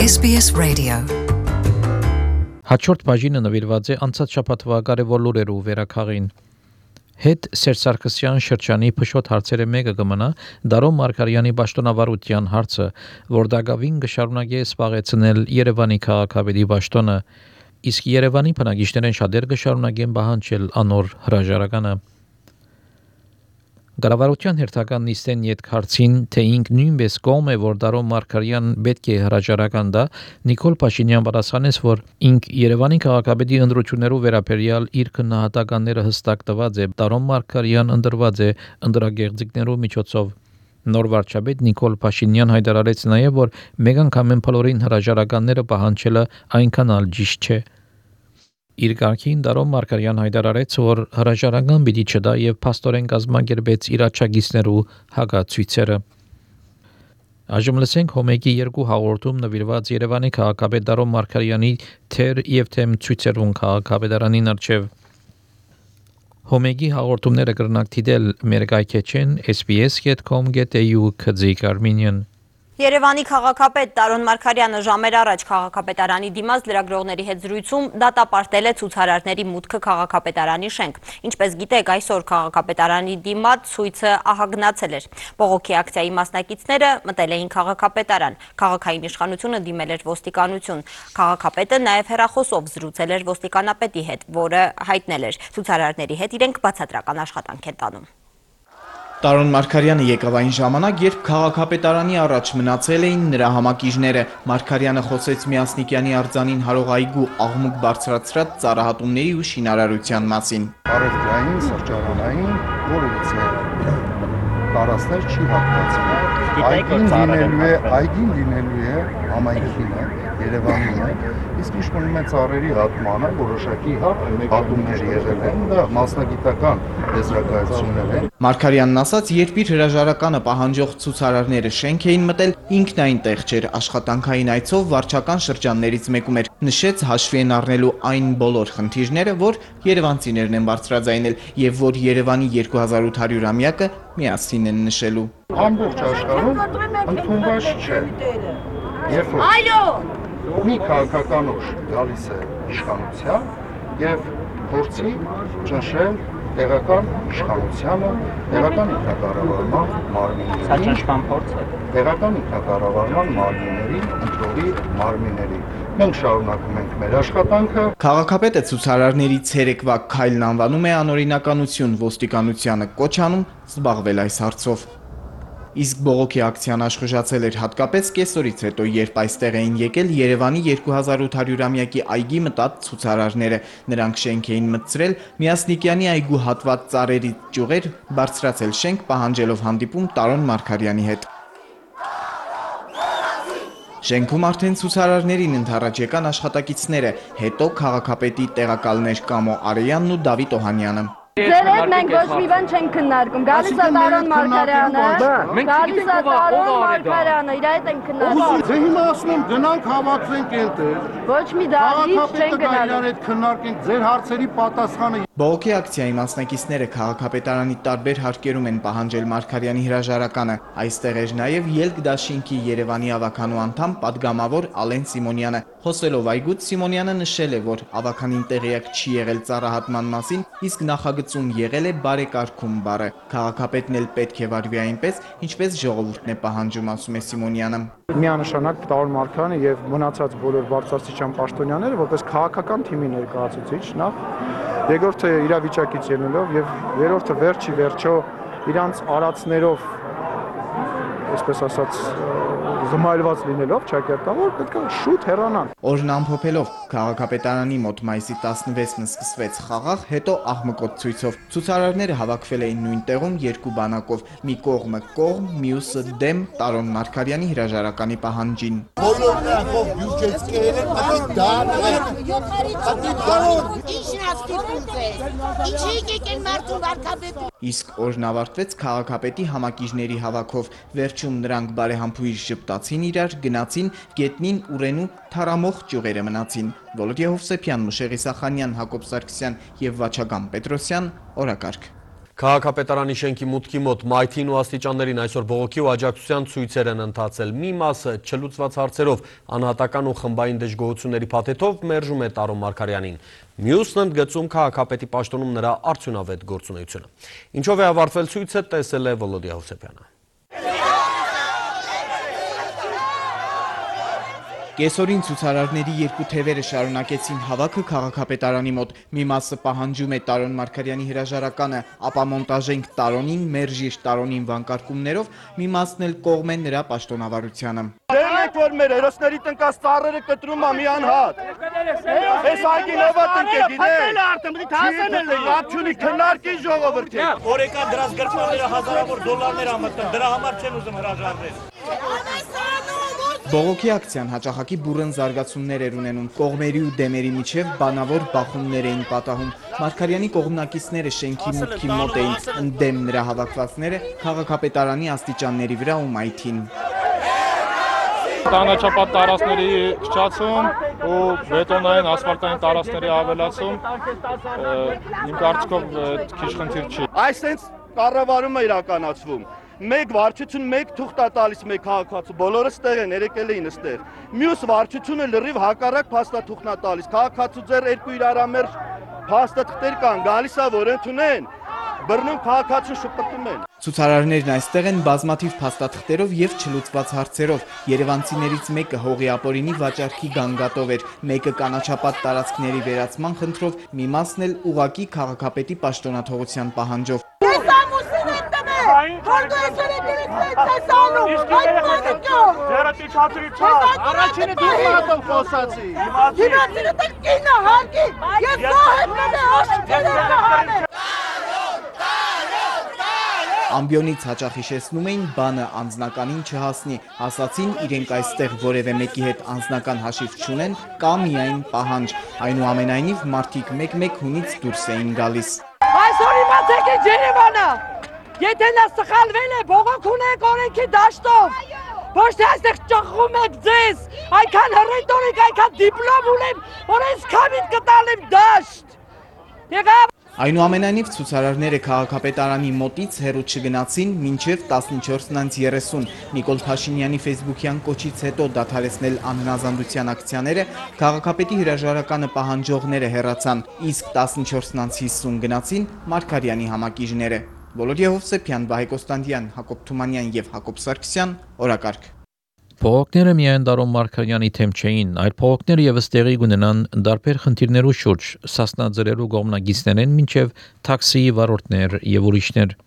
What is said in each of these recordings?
SBS Radio. Հաջորդ բաժինը նվիրված է անցած շաբաթվա կարևոր լուրերով վերականգին։ Հետ Սերժ Սարգսյան շրջանի փշոտ հարցերը մեկը կմնա Դարոն Մարգարյանի պաշտոնավարության հարցը, որ դակավին կշարունակի սպառեցնել Երևանի քաղաքապետի պաշտոնը, իսկ Երևանի բնակիչներն շատեր կշարունակեն պահանջել անոր հրաժարականը։ Կառավարության հերթական նիստեն յետքարցին, թե ինք նույնպես կողմ է, որ Դարոն Մարգարյան պետք է հրաժարական տա, Նիկոլ Փաշինյան պատասխանեց, որ ինք Երևանի քաղաքապետի ընտրություններով վերաբերյալ իր քննադատականները հստակ տված է, Դարոն Մարգարյան ընտրված է ընտրագեղձիկներով միջոցով։ Նոր վարչապետ Նիկոլ Փաշինյան հայտարարեց նաև, որ մեկ անգամ բոլորին հրաժարականները պահանջելը այնքան էլ ճիշտ չէ։ Իր կարգին Դարոն Մարգարյան հայտարարեց, որ հրաժարական պիտի չտա եւ փաստորեն կազմակերպեց իր աջակիցներու հակացույցերը։ Այժմ լսենք Հոմեգի 2 հաղորդում նվիրված Երևանի քաղաքապետ Դարոն Մարգարյանի թեր եւ թեմ ցույցերուն քաղաքապետարանին արչեւ։ Հոմեգի հաղորդումները կրնակ դիտել մեր գայքեչեն sbs.com.au/armenian Երևանի քաղաքապետ Դարոն Մարգարյանը ժամեր առաջ քաղաքապետարանի դիմաց լրագրողների հետ զրույցում դատապարտել է ցուցարարների մուտքը քաղաքապետարանի շենք։ Ինչպես գիտեք, այսօր քաղաքապետարանի դիմաց ցույցը ահագնացել էր։ Բողոքի ակցիայի մասնակիցները մտել էին քաղաքապետարան։ Քաղաքային իշխանությունը դիմել էր ոստիկանություն։ Քաղաքապետը նաև հեռախոսով զրուցել էր ոստիկանապետի հետ, որը հայտնել էր, ցուցարարների հետ իրենք բացատրական աշխատանք են տանում։ Դարոն Մարգարյանը եկավ այն ժամանակ, երբ քաղաքապետարանի առաջ մնացել էին նրա համակիժները։ Մարգարյանը խոսեց Միասնիկյանի արձանին հարող այգու աղմուկ բարձրացրած ծառահատումների ու շինարարության մասին։ Առևտրային, սրճարանային, որևիցե տարածքներ չի հատկացվում։ Այգին լինելու է համայնքինը, Երևանին է, իսկ իշխանում է ծառերի հատմանը, որոշակի հատումներ եղել են, դա մասնագիտական եզրակացություններ են։ Մարգարյանն ասաց, երբ իր հրաժարականը պահանջող ցուցարարները շենք էին մտել, ինքն այնտեղ չէր, աշխատանքային այցով վարչական շրջաններից մեկում էր, նշեց հաշվի են առնելու այն բոլոր խնդիրները, որ երևանցիներն են բարձրաձայնել եւ որ Երևանի 2800-ամյակը միասին են նշելու։ Ամբողջ աշխարհում ընդունված չէ։ Երբ մի քաղաքական ուժ գալիս է իշխանության եւ փորձի ճնշել տեղական իշխանությանը, տեղական ինքնակառավարման մարմիններին։ Սա ճնշման փորձ է։ Տեղական ինքնակառավարման մարմինների, ընտրողի մարմինների։ Մենք շարունակում ենք մեր աշխատանքը։ Քաղաքապետը ցուցարարների ցերեկվա քայլն անվանում է անօրինականություն, ոստիկանությանը կոչ անում զբաղվել այս հարցով։ Իսկ բողոքի ակցիան աշխուժացել էր հատկապես կեսօրից հետո, երբ այստեղ էին եկել Երևանի 2800-ամյակի այգի մտած ցուցարարները։ Նրանք շենք էին մտցրել Միասնիկյանի այգու հատված ծառերի ճյուղեր, բարձրացել շենք, պահանջելով հանդիպում Դարոն Մարգարյանի հետ։ Շենքում արդեն ցուցարարներին ընդառաջ եկան աշխատակիցները, հետո քաղաքապետի տեղակալներ Կամո Արեյանն ու Դավիթ Օհանյանը։ Ձեր հետ մենք ոչ մի բան չենք քննարկում։ Գալիս է Դարոն Մարգարյանը, գալիս է Դարոն Մարգարյանը, իր հետ ենք քննարկում։ Դե հիմա ասում եմ գնանք հավաքվենք այնտեղ։ Ոչ մի դարից չենք գնալու։ Այդ քննարկենք ձեր հարցերի պատասխանը։ Բողոքի ակցիայի մասնակիցները քաղաքապետարանի տարբեր հարկերում են պահանջել Մարգարյանի հրաժարականը։ Այստեղ էր նաև Ելք դաշինքի Երևանի ավականու անդամ պատգամավոր Ալեն Սիմոնյանը։ Խոսելով այգուց Սիմոնյանը նշել է, որ ավականին տեղյակ չի եղել ծառահատման մասին, իսկ նախագծում եղել է բարեկարգում բառը։ Քաղաքապետն էլ պետք է վարվի այնպես, ինչպես ժողովուրդն է պահանջում, ասում է Սիմոնյանը։ Միանշանակ Դարոն Մարգարյանը եւ մնացած բոլոր բարձրաստիճան պաշտոնյաները որպես քաղաքական թիմի ներկայացուցիչ նախ, երկրորդը իրավիճակից ելնելով եւ երրորդը վերջի վերջո իրանց արածներով, այսպես ասած, զմայլված լինելով ճակերտավոր պետք է շուտ հեռանան։ Օրն ամփոփելով քաղաքապետարանի մոտ մայիսի 16-ն սկսվեց խաղաղ, հետո աղմկոտ ցույցով։ Ցուցարարները հավաքվել էին նույն տեղում երկու բանակով, մի կողմը կողմ, մյուսը դեմ Դարոն Մարգարյանի հրաժարականի պահանջին։ Իսկ օրն ավարտվեց քաղաքապետի համակիժների հավաքով, վերջում նրանք բարեհամբույր ժպտացին իրար, գնացին գետնին ուրենու թարամող ճյուղերը մնացին։ Վոլոդիա Հովսեփյան, Մուշեղի Սախանյան, Հակոբ Սարգսյան եւ Վաչագան Պետրոսյան, օրակարգ։ Քաղաքապետարանի շենքի մուտքի մոտ մայթին ու աստիճաններին այսօր բողոքի ու աջակցության ցույցեր են ընթացել։ Մի մասը չլուծված հարցերով, անհատական ու խմբային դժգոհությունների փաթեթով մերժում է Տարոն Մարգարյանին։ Մյուսն ընդգծում քաղաքապետի պաշտոնում նրա արդյունավետ գործունեությունը։ Ինչով է ավարտվել ցույցը, տեսել է Վոլոդիա Հովսեփյանը։ Կեսօրին ցուցարարների երկու թևերը շարունակեցին հավաքը քաղաքապետարանի մոտ։ Մի մասը պահանջում է Տարոն Մարգարյանի հրաժարականը, ապա մոնտաժենք Տարոնին, մերժիր Տարոնին վանկարկումներով, մի մասն էլ կողմ է նրա պաշտոնավարությանը։ Դերնեք որ մեր հերոսների տնկած ծառերը կտրում է մի անհատ։ Այս այգին ով է տնկել, գիտեք։ Քննարկի ժողովրդի։ Օրեկան դրած գրպանները հազարավոր դոլարներ ամտան, դրա համար չեն ուզում հրաժարվել։ Բողոքի ակցիան հաճախակի բուռն զարգացումներ էր ունենում, կողմերի ու դեմերի միջև բանավոր բախումներ էին պատահում։ Մարգարյանի կողմնակիցները շենքի մուտքի մոտ էին, ընդդեմ նրա հավաքվածները քաղաքապետարանի աստիճանների վրա ու մայթին։ Կանաչապատ տարածքների քչացում ու բետոնային ասֆալտային տարածքների ավելացում իմ կարծիքով քիչ խնդիր չի։ Այսպես կառավարումը իրականացվում։ Մեկ վարչություն, մեկ թուղթ է տալիս մեկ քաղաքացու, բոլորը ստեղ են, երեկել էին ստեղ։ Մյուս վարչությունը լրիվ հակառակ փաստաթուղթն է տալիս։ Քաղաքացու ձեռ երկու իրարամերժ փաստաթղթեր կան, գալիս է որ ընդունեն, բռնում քաղաքացուն շփոթում են։ Ցուցարարներն այստեղ են բազմաթիվ փաստաթղթերով եւ չլուծված հարցերով։ Երևանցիներից մեկը հողի ապօրինի վաճառքի գանգատով էր, մեկը կանաչապատ տարածքների վերացման խնդրով, մի մասն էլ ուղակի քաղաքապետի պաշտոնաթողության պահանջով։ Առաջինը դիպլոմատով խոսացի։ Ամբիոնից հաճախ հիշեցնում էին բանը անձնականին չհասնի, ասացին իրենք այստեղ որևէ մեկի հետ անձնական հաշիվ չունեն կա միայն պահանջ, այնուամենայնիվ մարդիկ մեկ-մեկ հունից դուրս էին գալիս։ Այսօր իմացեք ինչ Երևանը, եթե նա սխալվել է, բողոք ունեք օրենքի դաշտով, ոչ թե այստեղ ճխում եք ձեզ, այնքան հռետորիկ, այնքան դիպլոմ ունեմ, որ այս քամին կտալեմ դաշտ։ Եղավ։ Այնուամենայնիվ ցուցարարները քաղաքապետարանի մոտից հեռու չգնացին մինչև 14:30։ Նիկոլ Փաշինյանի ֆեյսբուքյան կոչից հետո դադարեցնել անհնազանդության ակցիաները քաղաքապետի հրաժարականը պահանջողները հեռացան, իսկ 14:50 գնացին Մարգարյանի համակիժները։ Վոլոդիա Հովսեփյան, Վահե Կոստանդյան, Հակոբ Թումանյան եւ Հակոբ Սարգսյան, օրակարգ։ Փողոքները միայն Տարոն Մարգարյանի թեմ չէին, այլ փողոքները եւս տեղի կունենան դարբեր խնդիրներու շուրջ, սասնաձրերու կողմնագիծներեն մինչև թաքսիի վարորդներ եւ ուրիշներ։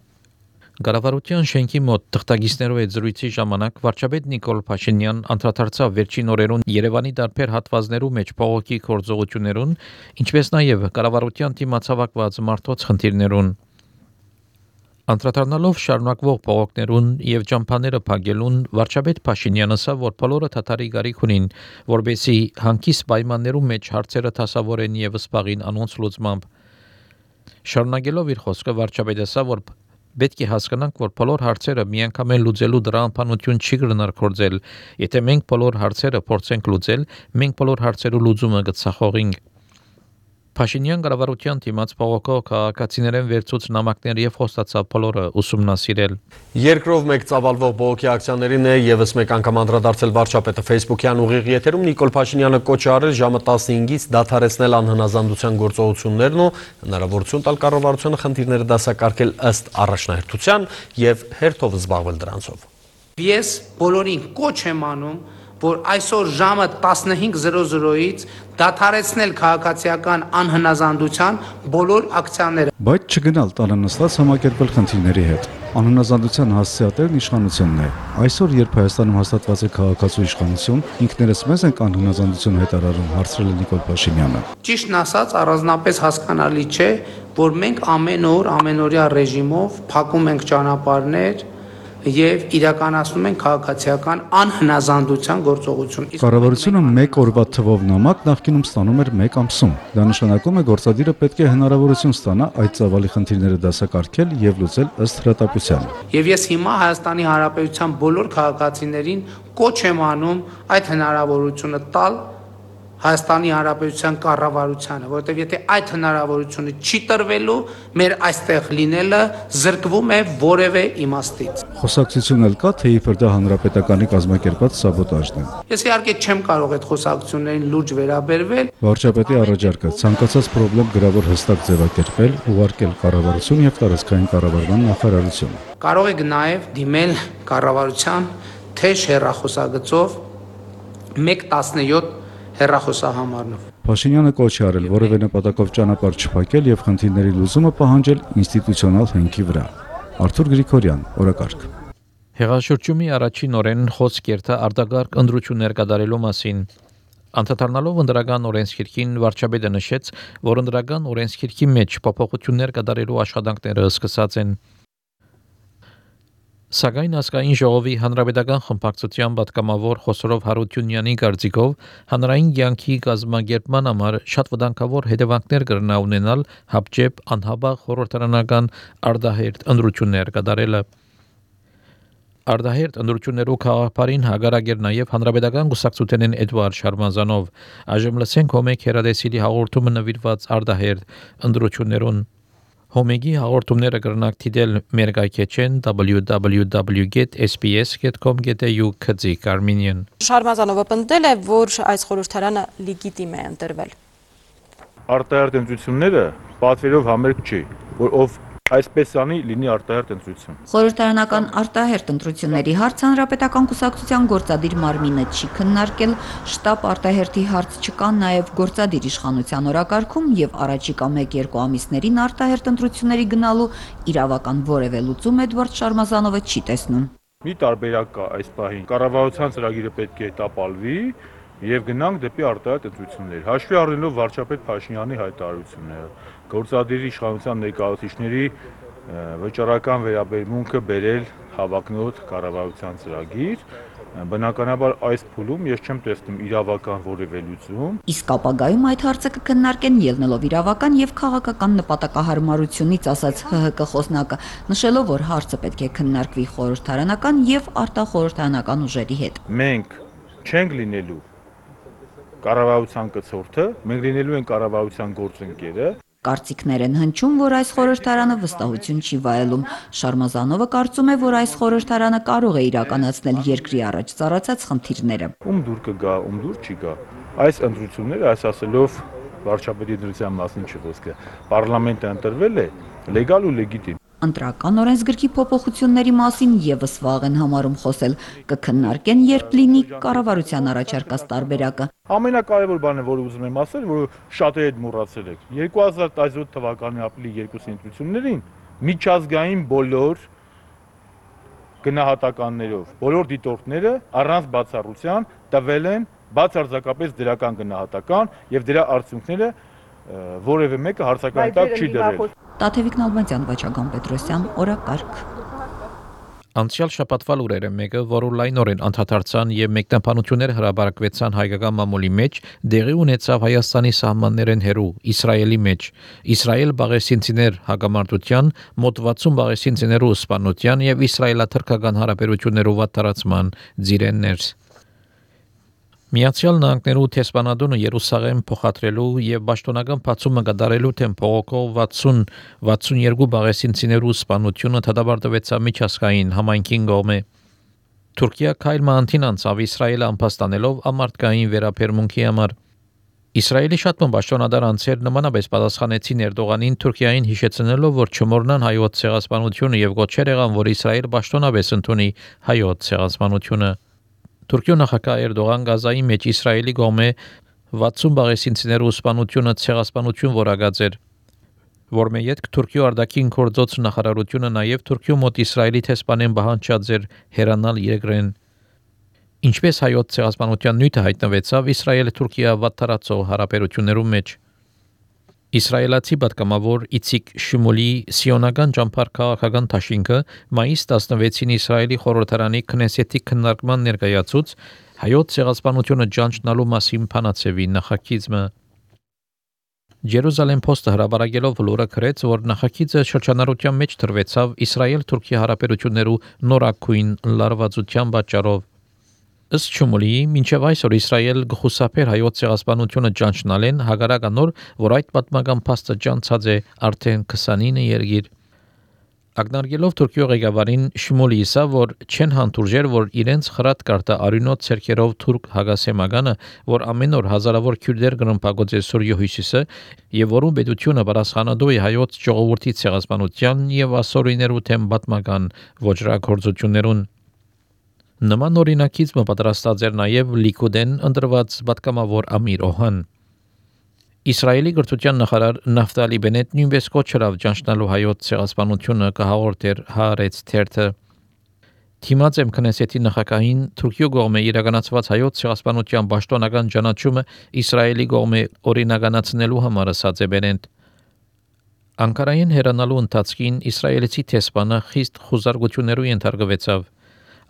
Կառավարության շենքի մոտ թղթակիցներով այդ զրույցի ժամանակ վարչապետ Նիկոլ Փաշինյան անդրադարձավ վերջին օրերուն Երևանի դարբեր հատվածներու մեջ փողոքի գործողություններուն, ինչպես նաեւ կառավարության դիմացավակված մարդոց խնդիրներուն։ Անդրադառնալով շարունակվող փողոքներուն եւ ճամփաները փակելուն վարչապետ Փաշինյանը ասավ, որ բոլորը թաթարի գարիք ունին, որբեսի հանգիստ պայմաններու մեջ հարցերը դասավորեն եւ սպաղին անոնց լուծմամբ։ Շարունակելով իր խոսքը վարչապետը ասավ, որ պետք է հասկանանք, որ բոլոր հարցերը միանգամայն լուծելու դրա անփանություն չի կրնարկորձել։ Եթե մենք բոլոր հարցերը փորձենք լուծել, մենք բոլոր հարցերու լուծումը կցախողենք։ Փաշինյան կառավարության դիմաց փողոքով քաղաքացիներեն վերցուց նամակներ եւ խոստացավ բոլորը ուսումնասիրել։ Երկրով մեկ ծավալվող բողոքի ակցիաներին է եւս մեկ անգամ անդրադարձել վարչապետը ֆեյսբուքյան ուղիղ եթերում Նիկոլ Փաշինյանը կոչ արել ժամը 15-ից դադարեցնել անհնազանդության գործողություններն ու հնարավորություն տալ կառավարությանը խնդիրները դասակարգել ըստ առաջնահերթության եւ հերթով զբաղվել դրանցով։ Ես բոլորին կոչ եմ անում, որ այսօր ժամը 15:00-ից դադարեցնել քաղաքացիական անհնազանդության բոլոր ակցիաները։ Բայց չգնալ տանանստած համակերպել խնդիրների հետ։ Անհնազանդության հասցեատերն իշխանությունն է։ Այսօր, երբ Հայաստանում հաստատված է քաղաքացու իշխանություն, ինքներս մեզ ենք անհնազանդություն հայտարարում, հարցրել է Նիկոլ Փաշինյանը։ Ճիշտն ասած, առանձնապես հասկանալի չէ, որ մենք ամեն օր ամենօրյա ռեժիմով փակում ենք ճանապարհներ եւ իրականացնում են քաղաքացիական անհնազանդության գործողություն։ Կառավարությունը մեկ օրվա թվով նամակ նախկինում ստանում էր 1 ամսում։ Դա նշանակում է գործադիրը պետք է հնարավորություն ստանա այդ ծավալի խնդիրները դասակարգել եւ լուծել ըստ հրատապության։ Եվ ես հիմա Հայաստանի Հանրապետության բոլոր քաղաքացիներին կոչ եմ անում այդ հնարավորությունը տալ Հայաստանի Հանրապետության կառավարությանը, որովհետև եթե այդ հնարավորությունը չի տրվելու, մեր այստեղ լինելը զրկվում է որևէ իմաստից։ Խոսակցություն էլ կա, թե իբր դա հանրապետականի կազմակերպած սաբոտաժն է։ Ես իհարկե չեմ կարող այդ խոսակցություններին լուրջ վերաբերվել։ Վարչապետի առաջարկը ցանկացած խնդրեմ գրավոր հստակ ձևակերպել, ուղարկել կառավարություն եւ տարածքային կառավարման նախարարություն։ Կարող եք նաև դիմել կառավարության թեժ հեռախոսագծով 117 հեռախոսահամարով։ Փաշինյանը կոչ է արել որևէ նպատակով ճանապարհ չփակել եւ խնդիրների լուծումը պահանջել ինստիտուցիոնալ հենքի վրա։ Արթուր Գրիգորյան, օրակարգ։ Հեղաշրջումի առաջին օրեն խոսք երթա արտագաղթ ընտրություններ կատարելու մասին։ Անդրադառնալով ընդրական օրենսգիրքին վարչապետը նշեց, որ ընդրական օրենսգիրքի մեջ փոփոխություններ կատարելու աշխատանքները սկսած են։ Սակայն ազգային ժողովի հանրապետական խմբակցության պատգամավոր Խոսորով Հարությունյանի կարծիքով հանրային կյանքի կազմակերպման համար շատ վտանգավոր հետևանքներ կրնա ունենալ հապճեպ անհապաղ խորհրդարանական արտահերթ ընտրություններ կատարելը։ Արտահերթ ընտրություններու քաղաքապարին հագարակ էր նաև հանրապետական կուսակցութենեն Էդվարդ Շարմազանով։ Այժմ լսենք Հոմեկ հերադեսիլի հաղորդումը նվիրված արտահերթ ընտրություններուն։ Հոմեգի հաղորդումները կրնակ դիտել մեր գայքեչեն www.sbs.com.au քծիկ Armenian։ Շարմազանովը պնդել է, որ այս խորհրդարանը լեգիտիմ է ընտրվել։ Արտահերթ ընտրությունները պատվերով համերգ չի, որ ով այսպես անի լինի արտահերթ ընտրություն։ Խորհրդարանական արտահերթ ընտրությունների հարց հանրապետական կուսակցության գործադիր մարմինը չի քննարկել, շտաբ արտահերթի հարց չկա նաև գործադիր իշխանության օրակարգում եւ առաջիկա 1-2 ամիսներին արտահերթ ընտրությունների գնալու իրավական որևէ լուծում Էդվարդ Շարմազանովը չի տեսնում։ Մի տարբերակ կա այս պահին։ Կառավարության ծրագիրը պետք է տապալվի եւ գնանք դեպի արտահերթ ընտրություններ։ Հաշվի առնելով վարչապետ Փաշինյանի հայտարարությունները, գործադիր իշխանության ներկայացուցիչների վճռական վերաբերմունքը բերել հավակնոտ կառավարության ծրագիր, բնականաբար այս փուլում ես չեմ տեսնում իրավական որևէ լուծում։ Իսկ ապագայում այդ հարցը կքննարկեն ելնելով իրավական եւ քաղաքական նպատակահարմարությունից, ասաց ՀՀԿ խոսնակը, նշելով, որ հարցը պետք է քննարկվի խորհրդարանական եւ արտախորհրդարանական ուժերի հետ։ Մենք չենք լինելու կառավարության կցորդը, մենք լինելու ենք կառավարության գործընկերը։ Կարծիքներ են հնչում, որ այս խորհրդարանը վստահություն չի վայելում։ Շարմազանովը կարծում է, որ այս խորհրդարանը կարող է իրականացնել երկրի առաջ ծառացած խնդիրները։ Ում դուր կգա, ում դուր չի գա։ Այս ընտրությունները, այս ասելով վարչապետի ընտրության մասին չի խոսքը։ Պարլամենտը ընտրվել է լեգալ ու լեգիտիմ։ Ընտրական օրենսգրքի փոփոխությունների մասին եւս վաղ են համարում խոսել, կքննարկեն, երբ լինի կառավարության առաջարկած տարբերակը։ Ամենակարևոր բանը, որ ուզում եմ ասել, որ շատերը հետ մոռացել եք։ 2017 թվականի ապրիլի 2 ընտրություններին միջազգային բոլոր գնահատականներով, բոլոր դիտորդները առանց բացառության տվել են բացարձակապես դրական գնահատական եւ դրա արդյունքները որևէ մեկը հարցական տակ չի դրել։ Տաթևիկ Նալբանդյան, Վաչագան Պետրոսյան, օրակարգ։ Անցյալ շաբաթվա լուրերը մեկը, որ լայնորեն անդրադարձան եւ մեկնաբանություններ հրապարակվեցան հայկական մամուլի մեջ, դեղի ունեցավ Հայաստանի սահմաններեն հեռու Իսրայելի մեջ։ Իսրայել բաղեսինցիներ հագամարտության, մոտ 60 բաղեսինցիներու սպանության եւ իսրայելա-թուրքական հարաբերություններու վատթարացման ձիրեններ։ Միացյալ Նահանգներու տեսփանադոնը Երուսաղեմ փոխադրելու եւ պաշտոնական բացումը կատարելու թեմ փողոքով 60-62 բաղեսինցիներու սպանությունը դադարեցավ միջազգային համայնքին կողմէ։ Թուրքիա քայլ մանտին անցավ Իսրայելը ամփոստանելով ամարտկային վերաբերմունքի համար։ Իսրայելի շատ պաշտոնադար անձեր նմանապես պատասխանեցին Էրդողանին Թուրքիային հիշեցնելով, որ չմոռնան հայոց ցեղասպանությունը եւ գոչեր եղան, որ Իսրայել պաշտոնապես ընդունի հայոց ցեղասպանությունը։ Թուրքիո նախագահ Էրդողան Գազայի մեջ Իսրայելի կողմէ 60 բաղեսինցիներու սպանությունը ցեղասպանություն որակած էր, որ մեյետ Թուրքիո արտաքին գործոց նախարարությունը նաև Թուրքիո մոտ Իսրայելի տեսփանեն բանջած էր հերանալ երկրեն։ Ինչպես հայոց ցեղասպանության նյութը հայտնվեցավ Իսրայել-Թուրքիա վատթարացող հարաբերություններու մեջ։ Իսրայելացի պատգամավոր Իցիկ Շմուլի սիոնական ճամփար քաղաքական դաշինքը մայիս 16-ին Իսրայելի խորհրդարանի քնեսեթի քննարկման ներկայացուց հայոց ցեղասպանությունը ճանչնալու մասին փանացեվի նախագիծը։ Jerusalem Post-ը հրապարակելով լուրը գրեց, որ նախագիծը շրջանառության մեջ դրվեցավ Իսրայել-Թուրքիա հարաբերություններու նորակույն լարվածության պատճառով։ Ըստ Շմուլիի, մինչև այսօր Իսրայել գխուսափեր հայոց ցեղասպանությունը ճանչնալեն հագարականոր, որ այդ պատմական փաստը ճանցած է արդեն 29 երկիր։ Ակնարկելով Թուրքիո ղեկավարին Շմուլիի ասա, որ չեն հանդուրժեր, որ իրենց խրատ կարտա արյունոտ ցերկերով թուրք հագասեմականը, որ ամեն օր հազարավոր քյուրդեր գրնպագոց է Սուրիո հյուսիսը, եւ որում պետությունը պատասխանատու է հայոց ժողովրդի ցեղասպանության եւ ասորիներու թեմ պատմական ոչրագործություններուն։ Նման օրինակից պատրաստած էր նաև Լիկուդեն ընտրված պատգամավոր Ամիր Օհան։ Իսրայելի գրթության նախարար Նավտալի Բենետ նույնպես կոչրավ ճանչնալու հայոց ցեղասպանությունը կհաղորդեր Հaaretz թերթը։ Թիմած եմ քնեսետի նախագահին Թուրքիո կողմը իրականացված հայոց ցեղասպանության պաշտոնական ճանաչումը Իսրայելի կողմը օրինականացնելու համար ասաց է Բենետ։ Անկարային հեռանալու ընթացքին իսրայելցի տեսփանը խիստ խուզարկություններու ենթարկվեցավ։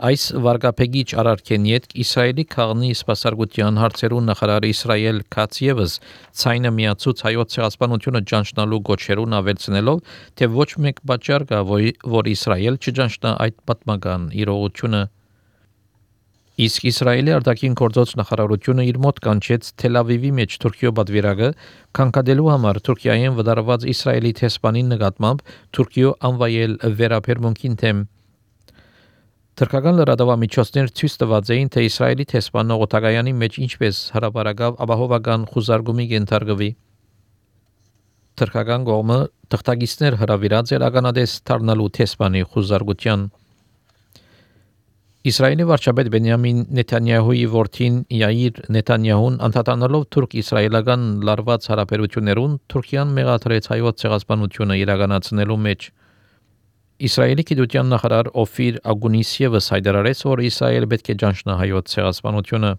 Այս վարգապեգիչ արարքեն յետք Իսրայելի քաղնի սպասարկության հարցերու նախարար Իսրայել Քացիևս ցայնը միացուց հայոց ցեղասպանությունը ճանչնալու գոչերուն ավելցնելով, թե ոչ մեկ պատճառ կա, որ Իսրայել չճանչնա այդ պատմական իրողությունը։ Իսկ Իսրայելի արտաքին գործոց նախարարությունը իր մոտ կանչեց Թել Ավիվի մեջ Թուրքիո պատվիրակը քանքադելու համար Թուրքիայեն վդարված Իսրայելի տեսփանին նկատմամբ Թուրքիո անվայել վերաբերմունքին թեմ։ Թուրքական լրատվամիջոցներ ցույց տված էին, թե Իսրայելի տեսփանը օտագայանի մեջ ինչպես հրապարակավ ապահովական խուզարկումի ենթարկվի։ Թուրքական կողմը թղթակիցներ հրավիրած էր ականադես դառնալու տեսփանի խուզարկության։ Իսրայելի վարչապետ Բենյամին Նեթանյահուի որդին Յայիր Նեթանյահուն անդրադառնալով թուրք-իսրայելական լարված հարաբերություններուն Թուրքիան մեղադրեց հայոց ցեղասպանությունը իրականացնելու մեջ։ Իսրայելի գիտության նախարար Օֆիր Ագունիսիևս հայտարարեց, որ Իսրայել պետք է ճանչնա հայոց ցեղասպանությունը։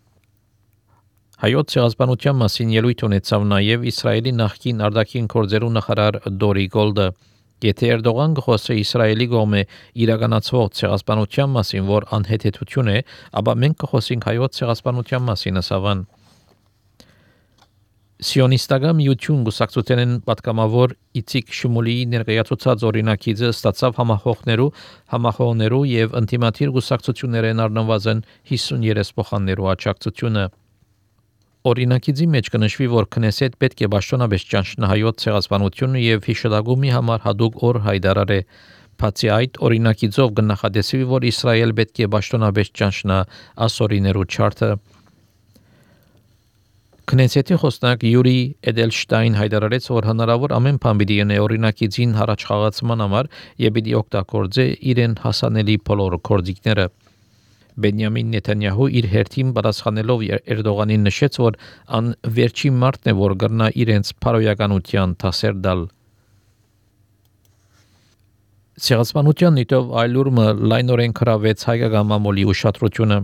Հայոց ցեղասպանության մասին ելույթ ունեցավ նաև Իսրայելի նախկին արտաքին գործերու նախարար Դորի Գոլդը։ Եթե Էրդողան գխոսե Իսրայելի կողմը իրականացվող ցեղասպանության մասին, որ անհեթեթություն է, ապա մենք կխոսենք հայոց ցեղասպանության մասին, ասավան։ Սիոնիստական միություն գուսակցութենեն պատգամավոր Իցիկ Շմուլիի ներկայացուցած օրինակիցը ստացավ համախոհներու եւ ինտիմատիր գուսակցություններեն առնվազն 53 փոխաններու աջակցությունը։ Օրինակիցի մեջ կնշվի, որ Քնեսեթ պետք է պաշտոնապես ճանչնա հայոց ցեղասպանությունը եւ հիշատակումի համար հadoop օր հայտարարե։ Բացի այդ, օրինակիցով կնախադեсվի, որ Իսրայել պետք է պաշտոնապես ճանչնա ասորիներու չարթը։ Քնեսեթի խոսնակ Յուրի Էդելշտայն հայտարարեց, որ հնարավոր ամեն բան պիտի ունի օրինակիցին հառաչխաղացման համար եւ պիտի օգտագործե իրեն հասանելի բոլոր կորձիկները։ Բենյամին Նեթանյահու իր հերթին պատասխանելով Էրդողանին նշեց, որ ան վերջին մարտն է, որ կրնա իրենց փարոյականության դասեր տալ։ Ցեղասպանության նյութով այլուրմը լայնորեն քրավեց հայկական մամուլի ուշադրությունը։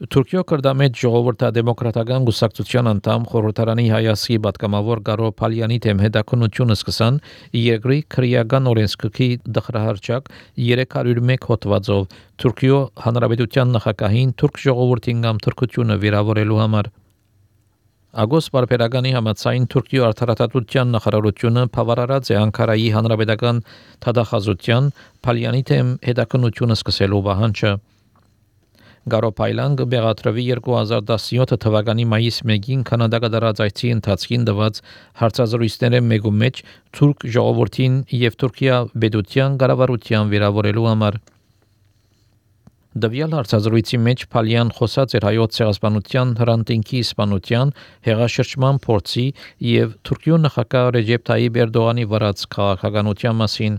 Թուրքիո կրդամետ ժողովրդադեմոկրատական գուսակցության անդամ խորհրդարանի հայասի պատգամավոր Գարո Փալյանի դեմ հետաքննությունը սկսան երկրի քրեական օրենսգրքի դխրահարճակ 301 հոդվածով Թուրքիո հանրապետության նախագահին թուրք ժողովրդին կամ թուրքությունը վիրավորելու համար։ Ագոս բարբերականի համաձայն Թուրքիո արդարադատության նախարարությունը բավարարած է Անկարայի հանրապետական թադախազության Փալյանի դեմ հետաքննությունը սկսելու պահանջը։ Գարո Փայլան կբեղադրվի 2017 թվականի մայիս 1-ին Կանադա կդարած այցի ընթացքին տված հարցազրույցների մեկու մեջ թուրք ժողովրդին եւ Թուրքիա պետության կառավարության վիրավորելու համար։ Դվյալ հարցազրույցի մեջ Փալյան խոսած էր հայոց ցեղասպանության հրանտինքի իսպանության հեղաշրջման փորձի եւ Թուրքիո նախագահ Ռեջեփ Թայիպ Էրդողանի վարած քաղաքականության մասին։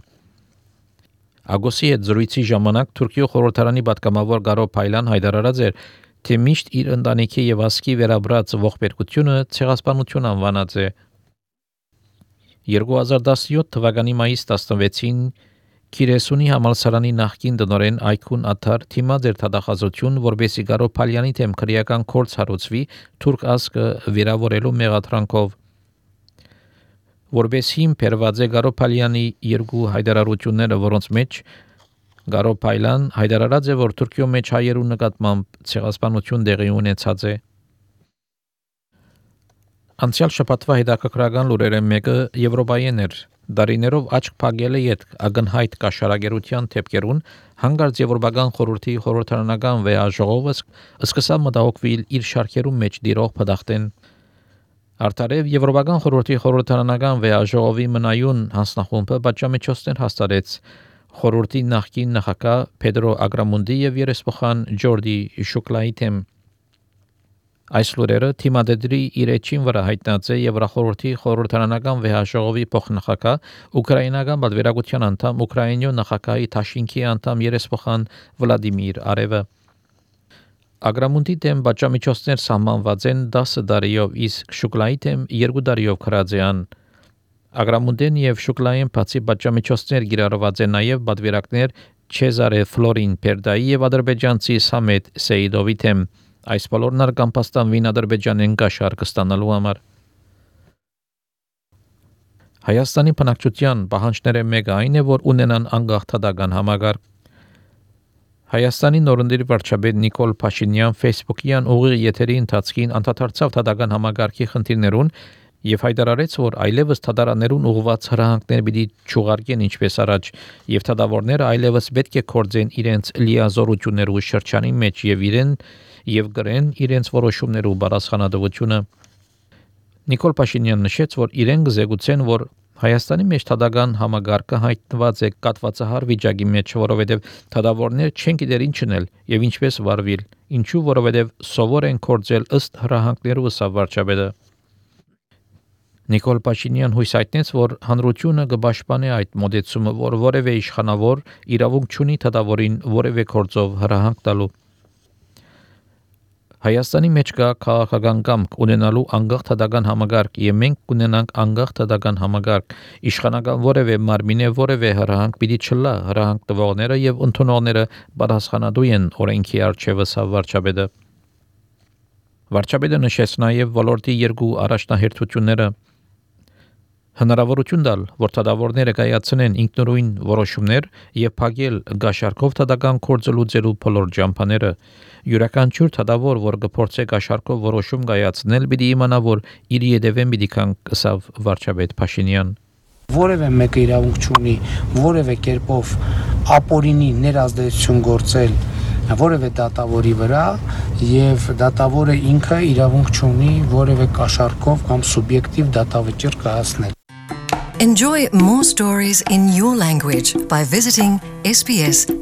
Ագոսի հետ զրույցի ժամանակ Թուրքիո խորհրդարանի պատգամավոր Գարո Փայլան հայտարարած էր, թե միշտ իր ընտանիքի եւ ազգի վերաբրած ողբերգությունը ցեղասպանություն անվանած է։ 2017 թվականի մայիս 16-ին Կիրեսունի համալսարանի նախկին տնօրեն Այքուն Աթար թիմած էր թադախազություն, որբեսի Գարո Փալյանի դեմ քրեական գործ հարուցվի թուրք ազգը վիրավորելու մեղադրանքով։ Որբեսի բերված է Գարո Փալյանի երկու հայտարարությունները, որոնց մեջ Գարո Փայլան հայտարարած է, որ Թուրքիո մեջ հայերու նկատմամբ ցեղասպանություն տեղի ունեցած է։ Անցյալ շաբաթվա հետաքրքրական լուրերը մեկը Եվրոպայեն էր։ Դարիներով աչք փակել է յետ ագնհայտ կաշարագերության թեփկերուն հանգարց Եվրոպական խորհրդի խորհրդարանական վեաժողովը սկսավ մտահոգվել իր շարքերում մեջ դիրող փդախտեն Արտարև Եվրոպական խորհրդի խորհրդարանական վեաժողովի մնայուն հանձնախումբը պատժամիջոցներ հաստատեց խորհրդի նախկին նախագահ Պեդրո Ագրամունդի եւ երեսփոխան Ջորդի Շուկլայի թեմ Այս լուրերը թիմադեդրի իր էջին վրա հայտնած է Եվրախորհրդի խորհրդարանական վեհաժողովի փոխնախագահ ուկրաինական պատվիրակության անդամ Ուկրաինյո նախագահի Թաշինքի անդամ երեսփոխան Վլադիմիր Արևը Ագրամունդի դեմ պատժամիջոցներ սահմանված են 10 տարիով, իսկ Շուկլայի դեմ 2 տարիով քրաձեան Ագրամունդեն եւ Շուկլային բացի պատժամիջոցներ գիրառված են նաեւ պատվիրակներ Չեզարե Ֆլորին Պերդայի եւ ադրբեջանցի Սամետ Սեիդովի դեմ Այս բոլորն արգամպաստանվին Ադրբեջանեն գաշարք ստանալու համար։ Հայաստանի բնակչության պահանջները մեկը այն է, որ ունենան անկախ թադական համագարկ։ Հայաստանի նորընտիր վարչապետ Նիկոլ Փաշինյան Facebook-յան ուղիղ եթերի ընթացքին անդրադարձավ թադական համագարկի խնդիրներուն եւ հայտարարեց, որ այլևս թադարաններուն ուղղված հրահանգներ պիտի չուղարկեն ինչպես առաջ եւ թադավորները այլևս պետք է կորձեն իրենց լիազորություններու շրջանի մեջ եւ գրեն իրենց որոշումներու բարձրանալությունը Նիկոլ Փաշինյանն նշեց, որ իրեն գզեգուցեն, որ Հայաստանի մեջ թադական համագարկը հայտնված է կատվածահար վիճակի մեջ, որովհետև թադավորներ չեն գիտեր ինչ անել եւ ինչպես վարվել, ինչու որովհետև սովոր են կորձել ըստ հրահանգներու սա վարչապետը Նիկոլ Փաշինյան հույս հայտնեց, որ հանրությունը կպաշտպանի այդ մոդեցումը, որ որևէ իշխանավոր իրավունք չունի թադավորին որևէ կորձով հրահանգ տալու Հայաստանի մեջ կա քաղաքական կամք ունենալու անկախ թադական համագարկ եւ մենք կունենանք անկախ թադական համագարկ իշխանական որևէ մարմինե որևէ հրահանգ պիտի չլա հրահանգ տվողները եւ ընդունողները պատասխանատու են օրենքի արչեւը վարչապետը Վարչապետը նշեց նաեւ ոլորտի երկու առաջնահերթությունները Հնարավորություն տալ, որ թադավորները կայացնեն ինքնուրույն որոշումներ եւ փակել գաշարքով թադական կորձելուծելու բոլոր ջամփաները յուրաքանչյուր թադավոր, որ կփորձե գաշարքով որոշում կայացնել, պիտի իմանա, որ իր յետևեն պիտի կան կսավ վարչապետ Փաշինյան Որևէ մեկը իրավունք չունի որևէ կերպով ապօրինի ներազդեցություն գործել որևէ դատավորի վրա եւ դատավորը ինքը իրավունք չունի որևէ կաշառքով կամ սուբյեկտիվ դատավճիռ կայացնել Enjoy more stories in your language by visiting sbs.com.au